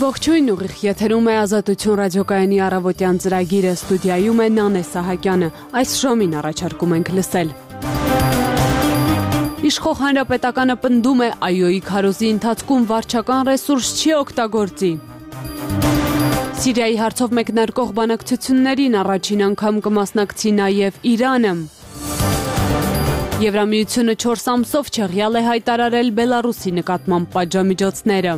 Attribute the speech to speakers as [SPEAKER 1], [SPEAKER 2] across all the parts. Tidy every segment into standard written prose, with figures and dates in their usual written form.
[SPEAKER 1] Ողջույն, ուղիղ եթերում է Ազատություն ռադիոկայանի առավոտյան ծրագիրը, ստուդիայում է Նանե Սահակյանը։ Այս ժամին առաջարկում ենք լսել։ Իշխող հանրապետականը պնդում է ԱՅՈ-ի քարոզի ընթացքում վարչական ռեսուրս չի օգտագործի։ Սիրիայի հարցով մեկնարկող բանակցություններին առաջին անգամ կմասնակցի նաև Իրանը։ Եվրամիությունը 4 ամսով չեղյալ է հայտարարել Բելարուսի նկատմամբ պատժամիջոցները։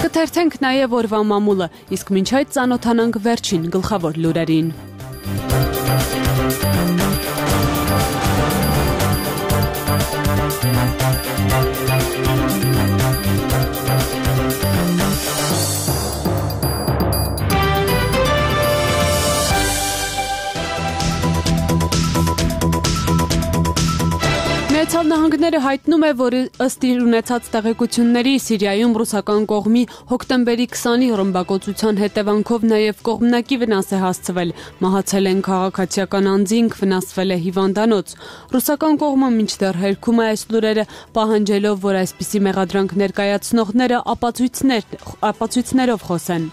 [SPEAKER 1] Կթերթենք նաև օրվա մամուլը, իսկ մինչ այդ ծանոթանանք վերջին գլխավոր լուրերին։ Միացյալ Նահանգները հայտնում է, որ ըստ իր ունեցած տեղեկությունների Սիրիայում ռուսական կողմի հոկտեմբերի 20-ի ռմբակոծության հետևանքով նաև կողմնակի վնաս է հասցվել, մահացել են քաղաքացիական անձինք, վնասվել է հիվանդանոց։ Ռուսական կողմը մինչդեռ հերքում է այս լուրերը, պահանջելով, որ այսպիսի մեղադրանք ներկայացնողները ապացույցներով խոսեն։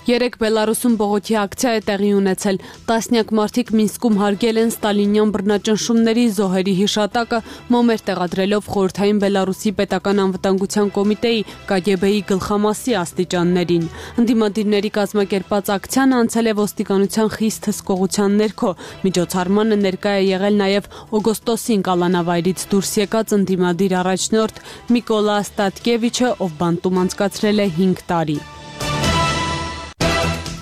[SPEAKER 1] Երեկ Բելարուսում բողոքի ակցիա է տեղի ունեցել։ Տասնյակ մարդիկ Մինսկում հարգել են ստալինյան բռնաճնշումների զոհերի հիշատակը, մոմեր տեղադրելով խորհրդային Բելարուսի պետական անվտանգության կոմիտեի ԿԳԲ-ի գլխամասի աստիճաններին։ Ընդդիմադիրների կազմակերպած ակցիան անցել է ոստիկանության խիստ հսկողության ներքո։ Միջոցառմանը ներկա է եղել նաև օգոստոսին կալանավայրից դուրս եկած ընդդիմադիր առաջնորդ Միկոլա Ստատկևիչը, ով բանտում անցկացրել է 5 տարի։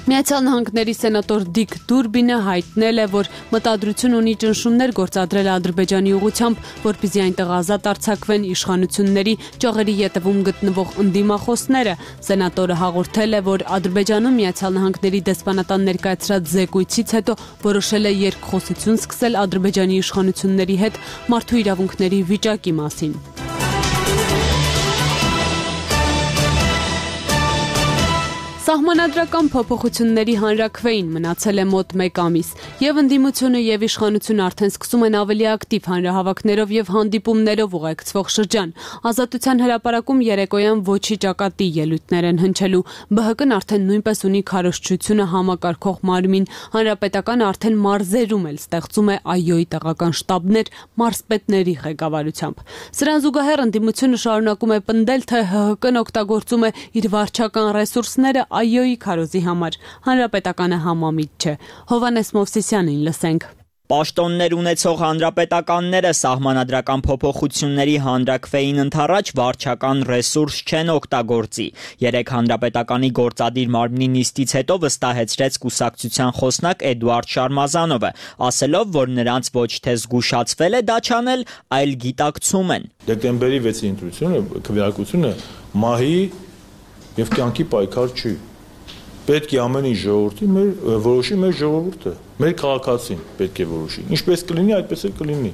[SPEAKER 1] Միացյալ Նահանգների սենատոր Դիկ Դուրբինը հայտնել է, որ մտադրություն ունի ճնշումներ գործադրել Ադրբեջանի ուղղությամբ, որպեսզի այնտեղ ազատ արձակվեն իշխանությունների ճյուղերի ետևում գտնվող ընդդիմախոսները։ Սենատորը հաղորդել է, որ Ադրբեջանում Միացյալ Նահանգների դեսպանատան ներկայացրած զեկույցից հետո որոշել է երկխոսություն սկսել Ադրբեջանի իշխանությունների հետ մարդու իրավունքների վիճակի մասին։ Սահմանադրական փոփոխությունների հանրաքվեին մնացել է մոտ 1 ամիս, եւ ընդդիմությունը եւ իշխանությունը արդեն սկսում են ավելի ակտիվ հանրահավաքներով եւ հանդիպումներով ուղեկցվող շրջան։ Ազատության հրապարակում երեկոյան ոչի ճակատի ելույթներ են հնչելու։ ԲՀԿ-ն արդեն նույնպես ունի քարոզչությունը համակարգող մարմին, հանրապետականը արդեն մարզերում էլ ստեղծում է ԱՅՈ-ի տեղական շտաբներ մարզպետների ղեկավարությամբ։ Սրան զուգահեռ ընդդիմությունը շարունակում է պնդել, թե ՀՀԿ-ն օգտագործում է իր վարչական ռեսուրսները ԱՅՈ-ի քարոզի համար, հանրապետականը համամիտ չէ։ Հովհաննես Մովսիսյանին լսենք։
[SPEAKER 2] Պաշտոններ ունեցող հանրապետականները սահմանադրական փոփոխությունների հանրաքվեին ընդառաջ վարչական ռեսուրս չեն օգտագործի։ Երեկ հանրապետականի գործադիր մարմնի նիստից հետո վստահեցրեց կուսակցության խոսնակ Էդուարդ Շարմազանովը, ասելով, որ նրանց ոչ թե զգուշացվել է դա չանել, այլ գիտակցում են։
[SPEAKER 3] Դեկտեմբերի 6-ի ընտրությունը, քվեարկությունը մահի եւ կյանքի պայքար չի։ Պետք է ամեն ինչ որոշի մեր ժողովուրդը, մեր քաղաքացին պետք է որոշի։ Ինչպես կլինի, այդպես էլ կլինի։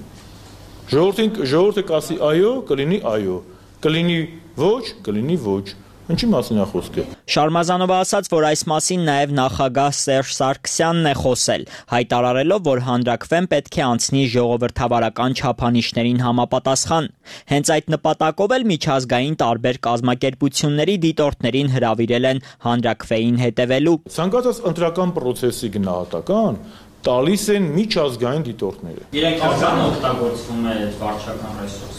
[SPEAKER 3] Ժողովուրդը կասի այո, կլինի այո, կլինի ոչ, կլինի ոչ։ Ինչի մասին է խոսքը։
[SPEAKER 2] Շարմազանովը ասաց, որ այս մասին նաև նախագահ Սերժ Սարգսյանն է խոսել, հայտարարելով, որ հանրաքվեն պետք է անցնի ժողովրդավարական չափանիշներին համապատասխան։ Հենց այդ նպատակով էլ միջազգային տարբեր կազմակերպությունների դիտորդներին հրավիրել են հանրաքվեին հետևելու։
[SPEAKER 3] Ցանկացած ընտրական process-ի գնահատական տալիս են միջազգային դիտորդները։
[SPEAKER 2] Իրենք օգտագործվում է վարչական ռեսուրսը։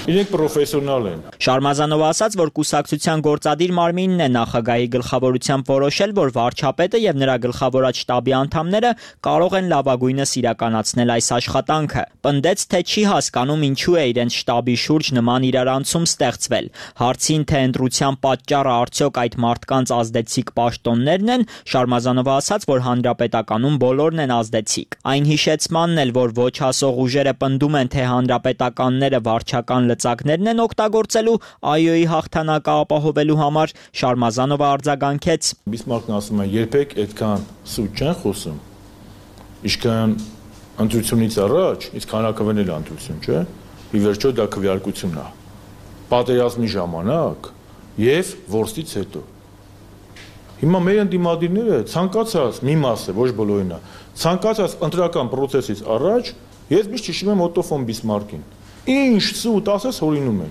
[SPEAKER 3] Իրենք պրոֆեսիոնալ են։
[SPEAKER 2] Շարմազանովը ասաց, որ կուսակցության գործադիր մարմինն է նախագահի գլխավորությամբ որոշել, որ վարչապետը եւ նրա գլխավորած շտաբի անդամները կարող են լավագույնս իրականացնել այս աշխատանքը։ Պնդեց, թե չի հասկանում ինչու է իրենց շտաբի շուրջ նման իրարանցում ստեղծվել։ Հարցին, թե ընտրության պատճառը արդյոք այդ մարդկանց ազդեցիկ պաշտոններն են, Շարմազանովը ասաց, որ հանրապետականում բոլորն են ազդեցիկ։ Այն հիշեցմանն էլ, որ ոչ հասող ուժերը պնդում են, թե հանրապետականները վարչական լծակներն են օգտագործելու ԱՅՈ-ի հաղթանակը ապահովելու համար, Շարմազանովը արձագանքեց։
[SPEAKER 3] Բիսմարկն ասում է, երբեք այդքան սուտ չեն խոսում։ Ինչքան ընտրությունից առաջ, իսկ հանրաքվեն էլ ընտրություն, չէ՞։ Ի վերջո դա քվեարկությունն է։ Պատերազմի ժամանակ եւ որսից հետո։ Հիմա մեր ընդդիմադիրները ցանկացած մի մասը, ոչ բոլորին է, ցանկացած ընտրական process-ից առաջ ես միշտ հիշում եմ Օտո ֆոն Բիսմարկին։ Ինչ սուտ ասես հորինում են։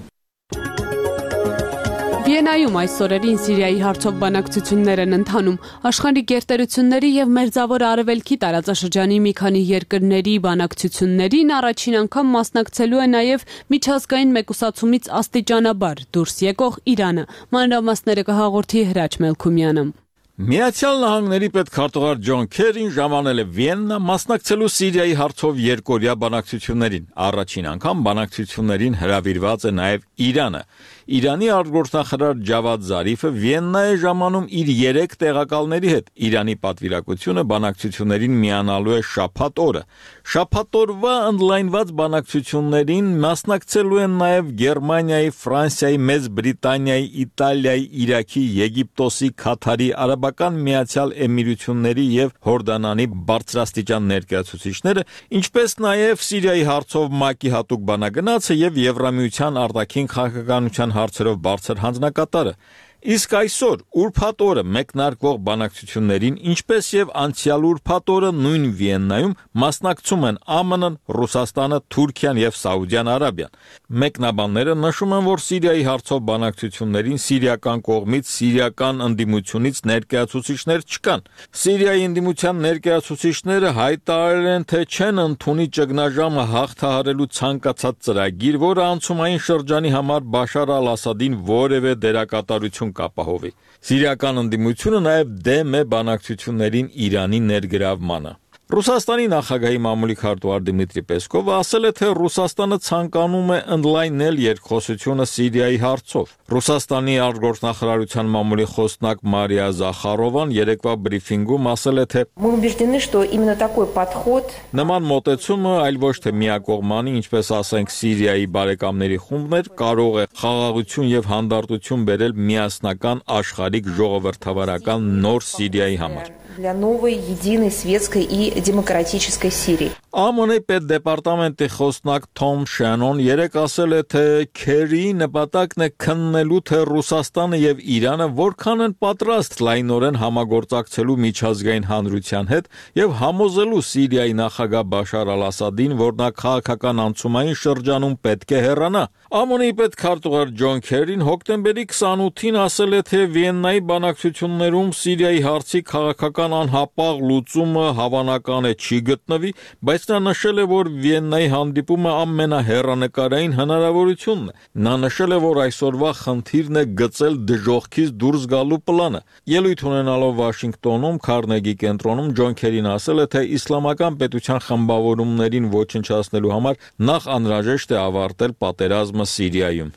[SPEAKER 1] Վիեննայում այս օրերին Սիրիայի հարցով բանակցություններ են ընթանում։ Աշխարհի գերտերությունների եւ Մերձավոր Արևելքի տարածաշրջանի մի քանի երկրների բանակցություններին առաջին անգամ մասնակցելու է նաեւ միջազգային մեկուսացումից աստիճանաբար դուրս եկող Իրանը։ Մանրամասները կհաղորդի Հրաչ Մելքումյանը։
[SPEAKER 4] Միացյալ Նահանգների պետքարտուղար Ջոն Քերին ժամանել է Վիեննա մասնակցելու Սիրիայի հարցով երկօրյա բանակցություններին։ Առաջին անգամ բանակցություններին հրավիրված է նաև Իրանը։ Իրանի արտգործնախարար Ջավադ Զարիֆը Վիեննա է ժամանում իր 3 տեղակալների հետ։ Իրանի պատվիրակությունը բանակցություններին միանալու է շաբաթ օրը։ Շաբաթ օրվա ընդլայնված բանակցություններին մասնակցելու են նաև Գերմանիայի, Ֆրանսիայի, Մեծ Բրիտանիայի, Իտալիայի, Իրաքի, Եգիպտոսի, Քաթարի, Արաբական Միացյալ Էմիրությունների եւ Հորդանանի բարձրաստիճան ներկայացուցիչները, ինչպես նաև Սիրիայի հարցով ՄԱԿ-ի հատուկ բանագնացը եւ Եվրամիության արտաքին քաղաքականության հարցերով բարձր հանձնակատարը։ Իսկ այսօր ուրբաթ օրը մեկնարկվող բանակցություններին, ինչպես եւ անցյալ ուրբաթ օրը նույն Վիեննայում մասնակցում են ԱՄՆ-ն, Ռուսաստանը, Թուրքիան եւ Սաուդյան Արաբիան։ Մեկնաբանները նշում են, որ Սիրիայի հարցով բանակցություններին սիրիական կողմից սիրիական ընդդիմությունից ներկայացուցիչներ չկան։ Սիրիայի ընդդիմության ներկայացուցիչները հայտարարել են, թե չեն ընդունի ճգնաժամը հաղթահարելու ցանկացած ծրագիր, որը անցումային շրջանի համար Բաշար al-Ասադին որևէ դերակատարություն կապահովի։ Սիրիական ընդդիմությունը նաև դեմ է բանակցություններին Իրանի ներգրավմանը։ Ռուսաստանի նախագահի մամուլի քարտուղար Դմիտրի Պեսկովը ասել է, թե Ռուսաստանը ցանկանում է ընդլայնել երկխոսությունը Սիրիայի հարցով։ Ռուսաստանի արտգործնախարարության մամուլի խոսնակ Մարիա Զախարովան երեկվա բրիֆինգում ասել է, թե նման մոտեցումը այլ ոչ թե միակողմանի, ինչպես ասենք Սիրիայի բարեկամների խումբներ, կարող է խաղաղություն եւ հանդարտություն բերել միասնական աշխարհիկ ժողովրդավարական նոր Սիրիայի համար։
[SPEAKER 5] Для новой, единой, светской и демократической Сирии.
[SPEAKER 4] ԱՄՆ պետդեպարտամենտի խոսնակ Թոմ Շանոն երեկ ասել է, թե Քերիի նպատակն է քննելու, թե Ռուսաստանը եւ Իրանը որքան են պատրաստ լայնորեն համագործակցելու միջազգային հանրության հետ եւ համոզելու Սիրիայի նախագահ Բաշար al-Ասադին, որ նա քաղաքական անցումային շրջանում պետք է հեռանա։ ԱՄՆ-ի պետքարտուղար Ջոն Քերին հոկտեմբերի 28-ին ասել է, թե Վիեննայի բանակցություններում Սիրիայի հարցի քաղաքական անհապաղ լուծումը հավանական է չի գտնվի, բայց նա նշել է, որ Վիեննայի հանդիպումը ամենահեռանկարային հնարավորությունն է։ Նա նշել է, որ այսօրվա խնդիրն է գծել դժոխքից դուրս գալու պլանը։ Ելույթ ունենալով Վաշինգտոնում Քարնեգի կենտրոնում Ջոն Քերին ասել է, թե իսլամական պետության խմբավորումներին ոչնչացնելու համար նախ անհրաժեշտ է ավարտել պատերազմը Սիրիայում։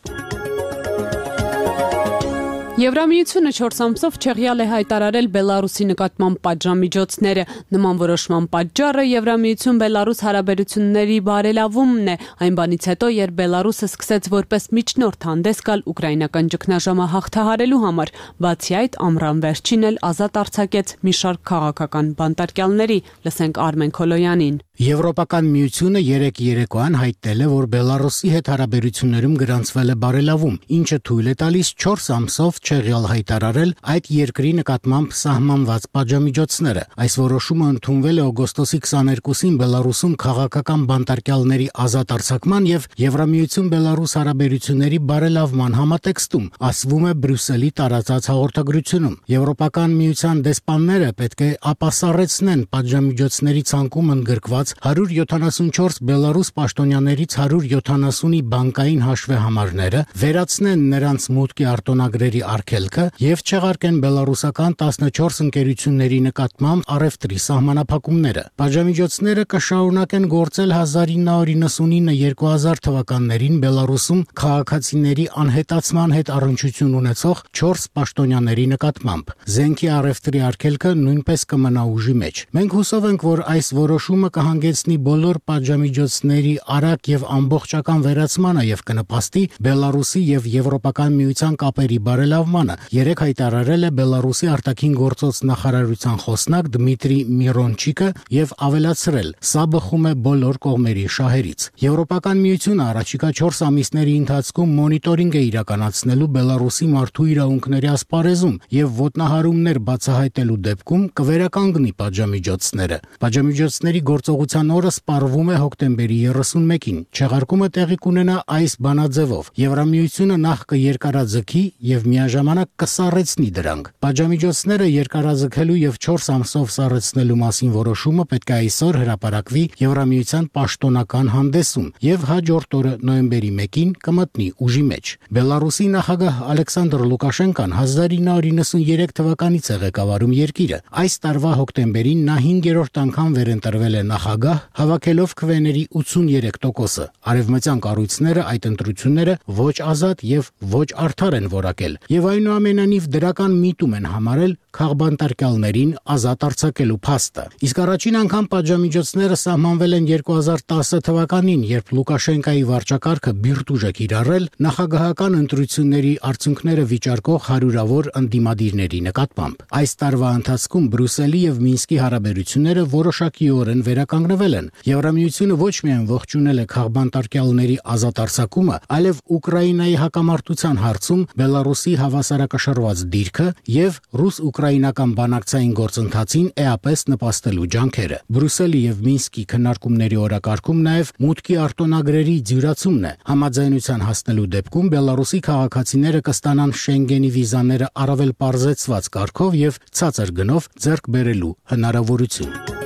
[SPEAKER 1] Եվրամիությունը 4 ամսով չեղյալ է հայտարարել Բելարուսի նկատմամբ պատժամիջոցները։ Նման որոշման պատճառը Եվրամիություն-Բելարուս հարաբերությունների բարելավումն է, այն բանից հետո, երբ Բելարուսը սկսեց որպես միջնորդ հանդես գալ ուկրաինական ճգնաժամը հաղթահարելու համար։ Բացի այդ, ամռան վերջին էլ ազատ արձակեց մի շարք քաղաքական բանտարկյալների։ Լսենք Արմեն Քոլոյանին։
[SPEAKER 6] Եվրոպական միությունը երեկոյան հայտնել է, որ Բելարուսի հետ հարաբերություններում գրանցվել է բարելավում, ինչը թույլ է տալիս 4 ամսով չեղյալ հայտարարել այդ երկրի նկատմամբ սահմանված պատժամիջոցները։ Այս որոշումը ընդունվել է օգոստոսի 22-ին Բելարուսում քաղաքական բանտարկյալների ազատ արձակման եւ Եվրամիություն-Բելարուս հարաբերությունների բարելավման համատեքստում, ասվում է Բրյուսելի տարածած հաղորդագրությունում։ Եվրոպական միության դեսպանները պետք է ապասառեցնեն պատժամիջոցների ցանկում ընդգրկված 174 Բելարուս պաշտոնյաներից 170-ի բանկային հաշվեհամարները, վերացնեն նրանց մուտքի արտոնագրերի արգելքը եւ չեղարկեն բելարուսական 14 ընկերությունների նկատմամբ առևտրի սահմանափակումները։ Պատժամիջոցները կշարունակեն գործել 1999-2000 թվականներին Բելարուսում քաղաքացիների անհետացման հետ առնչություն ունեցող 4 պաշտոնյաների նկատմամբ։ Զենքի առևտրի արգելքը նույնպես կմնա ուժի մեջ։ Մենք հուսով ենք, որ այս որոշումը կհանգեցնի բոլոր պատժամիջոցների արագ եւ ամբողջական վերացմանը եւ կնպաստի Բելարուսի եւ Եվրոպական միության կապերի բարելավմանը, երեք հայտարարել է Բելարուսի արտաքին գործոց նախարարության խոսնակ Դմիտրի Միրոնչիկը եւ ավելացրել. «Սա բխում է բոլոր կողմերի շահերից»։ Եվրոպական միությունը առաջիկա 4 ամիսների ընթացքում մոնիտորինգ է իրականացնելու Բելարուսի մարդու իրավունքների ասպարեզում եւ ոտնահարումներ բացահայտելու դեպքում կվերականգնի պատժամիջոցները։ Պատժամիջոցների գործողության Անկախության օրը սպառվում է հոկտեմբերի 31-ին։ Չեղարկումը տեղի կունենա այս բանաձևով. Եվրամիությունը նախ կերկարաձգի եւ միաժամանակ կսառեցնի դրանք։ Պատժամիջոցները երկարաձգելու եւ 4 ամսով սառեցնելու մասին որոշումը պետք է այսօր հրապարակվի Եվրամիության պաշտոնական հանդեսում եւ հաջորդ օրը նոյեմբերի 1-ին կմտնի ուժի մեջ։ Բելարուսի նախագահ Ալեքսանդր Լուկաշենկան 1993 թվականից է ղեկավարում երկիրը։ Այս տարվա հոկտեմբերին նա 5-րդ անգամ վերընտրվել է նախագահ, հավաքելով քվեների 83%-ը։ Արևմտյան կառույցները այդ ընտրությունները ոչ ազատ եւ ոչ արդար են որակել եւ այնուամենայնիվ դրական միտում են համարել քաղբանտարկյալներին ազատ արձակելու փաստը։ Իսկ առաջին անգամ պատժամիջոցները սահմանվել են 2010 թվականին, երբ Լուկաշենկայի վարչակարգը բիրտուժ է կիրառել նախագահական ընտրությունների արդյունքները վիճարկող հարյուրավոր ընդդիմադիրների նկատմամբ։ Այս տարվա ընթացքում Բրյուսելի եւ Մինսկի հարաբերությունները որոշակիորեն վերականգնվել են։ Եվրամիությունը ոչ միայն ողջունել է քաղբանտարկյալների ազատ արձակումը, այլև Ուկրաինայի հակամարտության հարցում Բելարուսի հավասարակշռված դիրքը եւ ռուս-ուկրաինական բանակցային գործընթացին էապես նպաստելու ջանքերը։ Բրյուսելի եւ Մինսկի քննարկումների օրակարգում նաեւ մուտքի արտոնագրերի դյուրացումն է։ Համաձայնության հասնելու դեպքում Բելարուսի քաղաքացիները կստանան Շենգենի վիզաները առավել պարզեցված կարգով եւ ցածր գնով ձեռք բերելու հնարավորություն։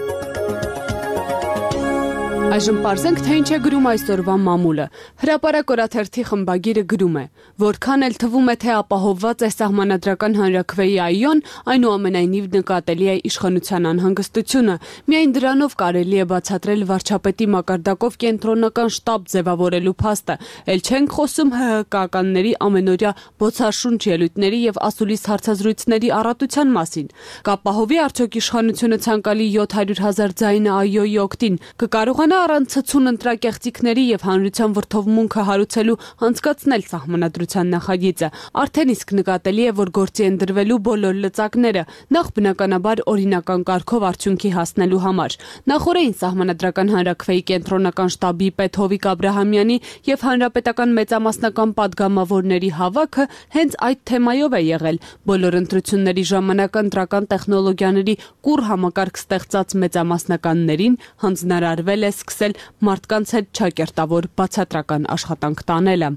[SPEAKER 1] Այժմ պարզենք, թե ինչ է գրում այսօրվա մամուլը։ Հրապարակ օրաթերթի խմբագիրը գրում է. որքան էլ թվում է, թե ապահովված է սահմանադրական հանրաքվեի այոն, այնուամենայնիվ նկատելի է իշխանության անհանգստությունը։ Միայն դրանով կարելի է բացատրել վարչապետի մակարդակով կենտրոնական շտաբ ձևավորելու փաստը։ Էլ չենք խոսում ՀՀԿ-ականների ամենօրյա բոցաշունչ ելույթների եւ ասուլիս հարցազրույցների առատության մասին։ Կապահովի արդյոք իշխանությունը ցանկալի 700,000 ձայնը այոյի օգտին, կկարողանա առանց ցցուն ընտրակեղծիքների եւ հանրության վրդովմունքը հարուցելու անցկացնել սահմանադրության նախագիծը։ Արդեն իսկ նկատելի է, որ գործի են դրվելու բոլոր լծակները, նախ բնականաբար օրինական կարգով արդյունքի հասնելու համար։ Նախորդին սահմանադրական հանրաքվեի կենտրոնական շտաբի պետ Հովիկ Աբրահամյանի եւ հանրապետական մեծամասնական падգամավորների հավաքը հենց այդ թեմայով է եղել։ Բոլոր ընտրությունների ժամանակ ընտրական տեխնոլոգիաների կուռ համակարգ ստեղծած մեծամասնականներին հանձնարարվել է սկսել մարդկանց հետ չակերտավոր բացատրական աշխատանք տանելը։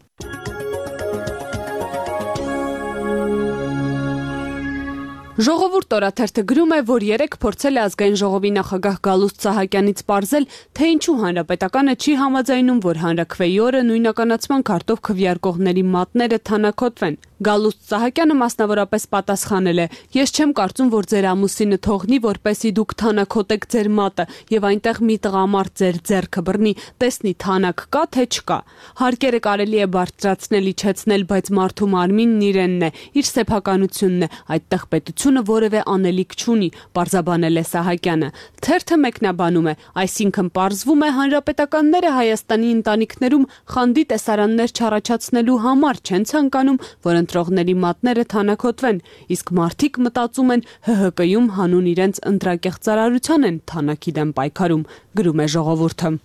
[SPEAKER 1] Ժողովուրդ օրաթերթը գրում է, որ երեկ փորձել է ազգային ժողովի նախագահ Գալուստ Սահակյանից պարզել, թե ինչու հանրապետականը չի համաձայնում, որ հանրաքվեի օրը նույնականացման քարտով քվեարկողների մատները թանաքոտվեն։ Գալուստ Սահակյանը մասնավորապես պատասխանել է. Ես չեմ կարծում, որ ձեր ամուսինը թողնի, որպեսի դուք թանաքոտեք ձեր մատը եւ այնտեղ մի տղամարդ ձեր ձեռքը բռնի, տեսնի թանակ կա թե չկա։ Հարկերը կարելի է բարձրացնել, իջեցնել, բայց մարդու մարմինն իրենն է, իր սեփականությունն է, այդտեղ պետությունը որևէ անելիք չունի, պարզաբանել է Սահակյանը։ Թերթը մեկնաբանում է, այսինքն պարզվում է հանրապետականները Հայաստանի ընտանիքներում խանդի տեսարաններ չառաջացնելու համար չեն ցանկանում, որ ընտրողների մատները թանաքոտվեն, իսկ մարդիկ մտածում են ՀՀԿ-ում հանուն իրենց ընտրակեղծարարության են թանակի դեմ պայքարում, գրում է Ժողովուրդը։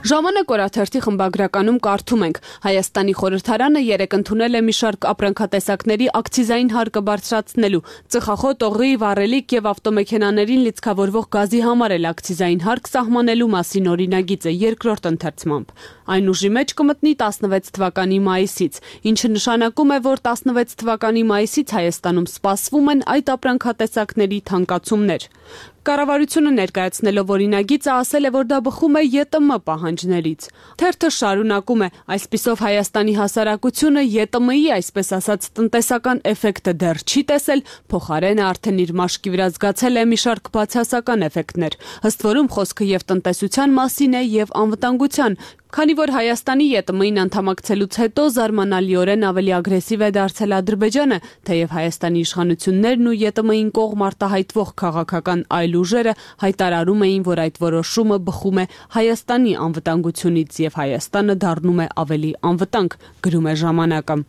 [SPEAKER 1] Ժամանակ օրաթերթի խմբագրականում կարդում ենք. Հայաստանի խորհրդարանը երեկ ընդունել է մի շարք ապրանքատեսակների ակցիզային հարկը բարձրացնելու, ծխախոտ, օղի, վառելիք եւ ավտոմեքենաներին լիցքավորվող գազի համար էլ ակցիզային հարկ սահմանելու մասին օրինագիծը երկրորդ ընթերցմամբ։ Այն ուժի մեջ կմտնի 16 թվականի մայիսից, ինչը նշանակում է, որ 16 թվականի մայիսից Հայաստանում սպասվում են այդ ապրանքատեսակների թանկացումներ։ Կառավարությունը ներկայացնելով օրինագիծը ասել է, որ դա բխում է ԵՏՄ պահանջներից։ Թերթը շարունակում է. այսպիսով Հայաստանի հասարակությունը ԵՏՄ-ի, այսպես ասած, տնտեսական էֆեկտը դեռ չի տեսել, փոխարենը արդեն իր մաշկի վրա զգացել է մի շարք բացասական էֆեկտներ։ Ըստ որում խոսքը եւ տնտեսության մասին է եւ անվտանգության, քանի որ Հայաստանի ԵՏՄ-ին անդամակցելուց հետո զարմանալիորեն ավելի ագրեսիվ է դարձել Ադրբեջանը, թեև Հայաստանի իշխանություններն ու ԵՏՄ-ին կողմ արտահայտվող քաղաքական այլ ուժերը հայտարարում էին, որ այդ որոշումը բխում է Հայաստանի անվտանգությունից եւ Հայաստանը դառնում է ավելի անվտանգ, գրում է ժամանակը։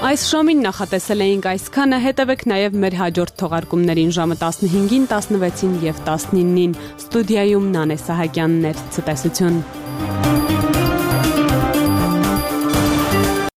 [SPEAKER 1] Այս ժամին նախատեսել էինք այսքանը, հետևեք նաև մեր հաջորդ թողարկումներին ժամը 15-ին, 16-ին եւ 19-ին։ Ստուդիայում Նանե Սահակյանն էր, ցտեսություն։